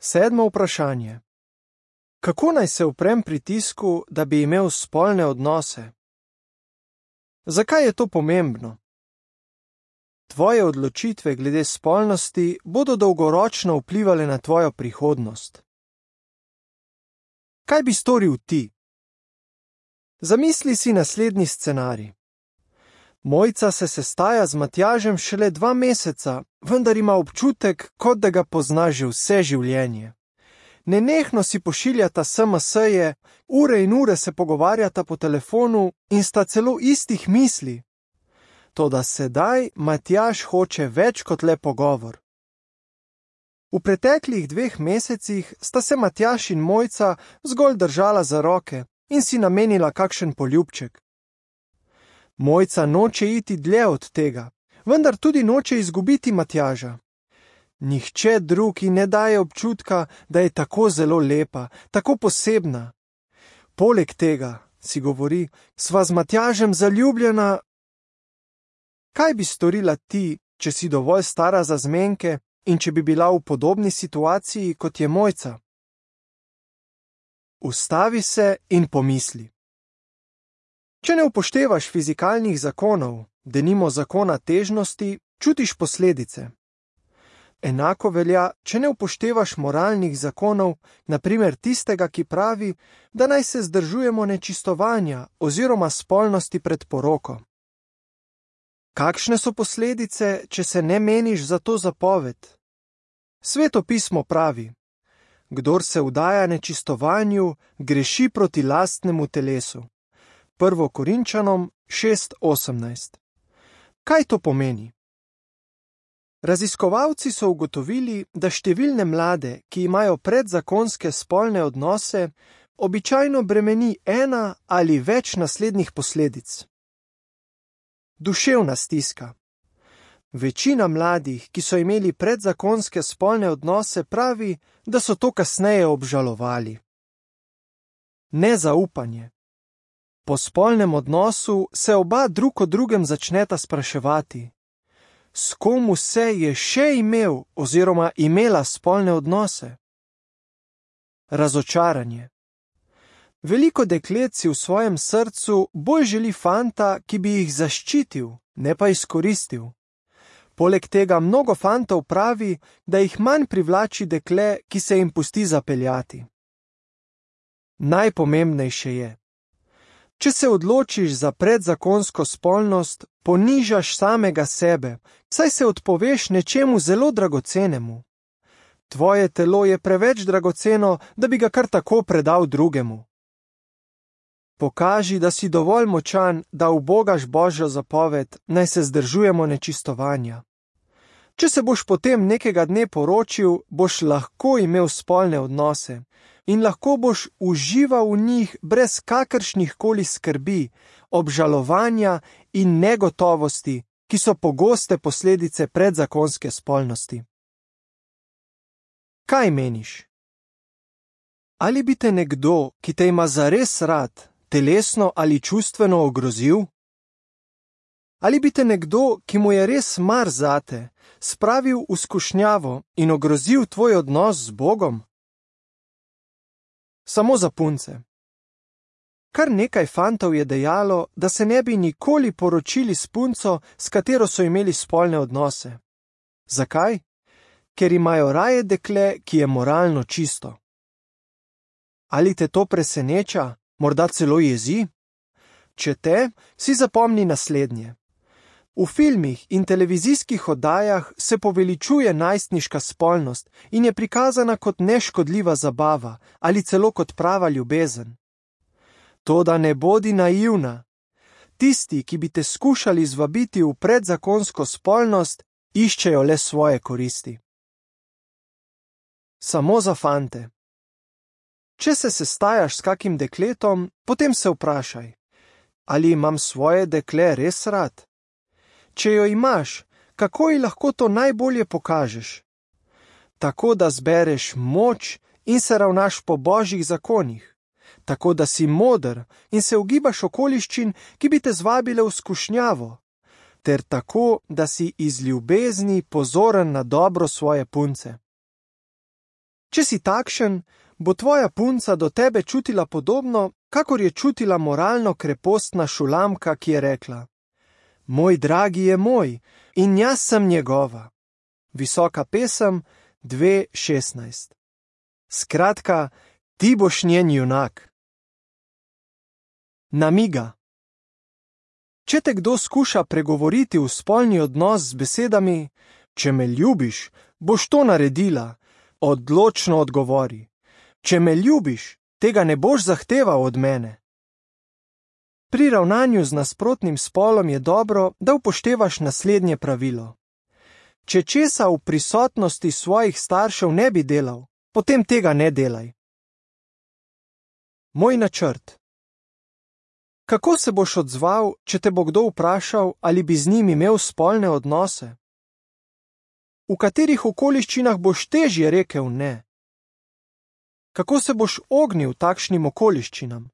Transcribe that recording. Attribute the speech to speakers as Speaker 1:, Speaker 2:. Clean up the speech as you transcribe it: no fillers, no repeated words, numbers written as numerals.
Speaker 1: Sedmo vprašanje. Kako naj se uprem pritisku, da bi imel spolne odnose? Zakaj je to pomembno? Tvoje odločitve glede spolnosti bodo dolgoročno vplivale na tvojo prihodnost. Kaj bi storil ti? Zamisli si naslednji scenarij. Mojca se sestaja z Matjažem šele 2 meseca, vendar ima občutek, kot da ga pozna že vse življenje. Nenehno si pošiljata SMS-je, ure in ure se pogovarjata po telefonu in sta celo istih misli. Toda sedaj Matjaž hoče več kot le pogovor. V preteklih 2 mesecih sta se Matjaž in Mojca zgolj držala za roke in si namenila kakšen poljubček. Mojca noče iti dlje od tega, vendar tudi noče izgubiti Matjaža. Nihče drug ji ne daje občutka, da je tako zelo lepa, tako posebna. Poleg tega, si govori, sva z Matjažem zaljubljena. Kaj bi storila ti, če si dovolj stara za zmenke in če bi bila v podobni situaciji, kot je Mojca? Ustavi se in pomisli. Če ne upoštevaš fizikalnih zakonov, denimo zakona težnosti, čutiš posledice. Enako velja, če ne upoštevaš moralnih zakonov, na primer tistega, ki pravi, da naj se zdržujemo nečistovanja oziroma spolnosti pred poroko. Kakšne so posledice, če se ne meniš za to zapoved? Sveto pismo pravi: kdor se vdaja nečistovanju, greši proti lastnemu telesu. 1. Korinčanom 6:18. Kaj to pomeni? Raziskovalci so ugotovili, da številne mlade, ki imajo predzakonske spolne odnose, običajno bremeni ena ali več naslednjih posledic. Duševna stiska. Večina mladih, ki so imeli predzakonske spolne odnose, pravi, da so to kasneje obžalovali. Nezaupanje. Po spolnem odnosu se oba drug o drugem začneta spraševati: s kom vse je še imel oziroma imela spolne odnose? Razočaranje. Veliko deklet si v svojem srcu bolj želi fanta, ki bi jih zaščitil, ne pa izkoristil. Poleg tega mnogo fantov pravi, da jih manj privlači dekle, ki se jim pusti zapeljati. Najpomembnejše je: če se odločiš za predzakonsko spolnost, ponižaš samega sebe, saj se odpoveš nečemu zelo dragocenemu. Tvoje telo je preveč dragoceno, da bi ga kar tako predal drugemu. Pokaži, da si dovolj močan, da ubogaš Božjo zapoved, naj se zdržujemo nečistovanja. Če se boš potem nekega dne poročil, boš lahko imel spolne odnose in lahko boš užival v njih brez kakršnih koli skrbi, obžalovanja in negotovosti, ki so pogoste posledice predzakonske spolnosti. Kaj meniš? Ali bi te nekdo, ki te ima zares rad, telesno ali čustveno ogrozil? Ali bi te nekdo, ki mu je res mar zate, spravil v skušnjavo in ogrozil tvoj odnos z Bogom? Samo za punce. Kar nekaj fantov je dejalo, da se ne bi nikoli poročili s punco, s katero so imeli spolne odnose. Zakaj? Ker imajo raje dekle, ki je moralno čisto. Ali te to preseneča, morda celo jezi? Če te, si zapomni naslednje. V filmih in televizijskih oddajah se poveličuje najstniška spolnost in je prikazana kot neškodljiva zabava ali celo kot prava ljubezen. Toda ne bodi naivna. Tisti, ki bi te skušali zvabiti v predzakonsko spolnost, iščejo le svoje koristi. Samo za fante. Če se sestajaš s kakim dekletom, potem se vprašaj: ali imam svoje dekle res rad? Če jo imaš, kako ji lahko to najbolje pokažeš? Tako, da zbereš moč in se ravnaš po Božjih zakonih. Tako, da si moder in se ogibaš okoliščin, ki bi te zvabile v skušnjavo. Ter tako, da si iz ljubezni pozoren na dobro svoje punce. Če si takšen, bo tvoja punca do tebe čutila podobno, kakor je čutila moralno krepostna Šulamka, ki je rekla: Moj dragi je moj in jaz sem njegova. Visoka pesem 2:16. Skratka, ti boš njen junak. Namiga. Če te kdo skuša pregovoriti v spolni odnos z besedami: Če me ljubiš, boš to naredila, odločno odgovori: Če me ljubiš, tega ne boš zahteval od mene. Pri ravnanju z nasprotnim spolom je dobro, da upoštevaš naslednje pravilo. Če česa v prisotnosti svojih staršev ne bi delal, potem tega ne delaj. Moj načrt. Kako se boš odzval, če te bo kdo vprašal, ali bi z njim imel spolne odnose? V katerih okoliščinah boš težje rekel ne? Kako se boš ognil takšnim okoliščinam?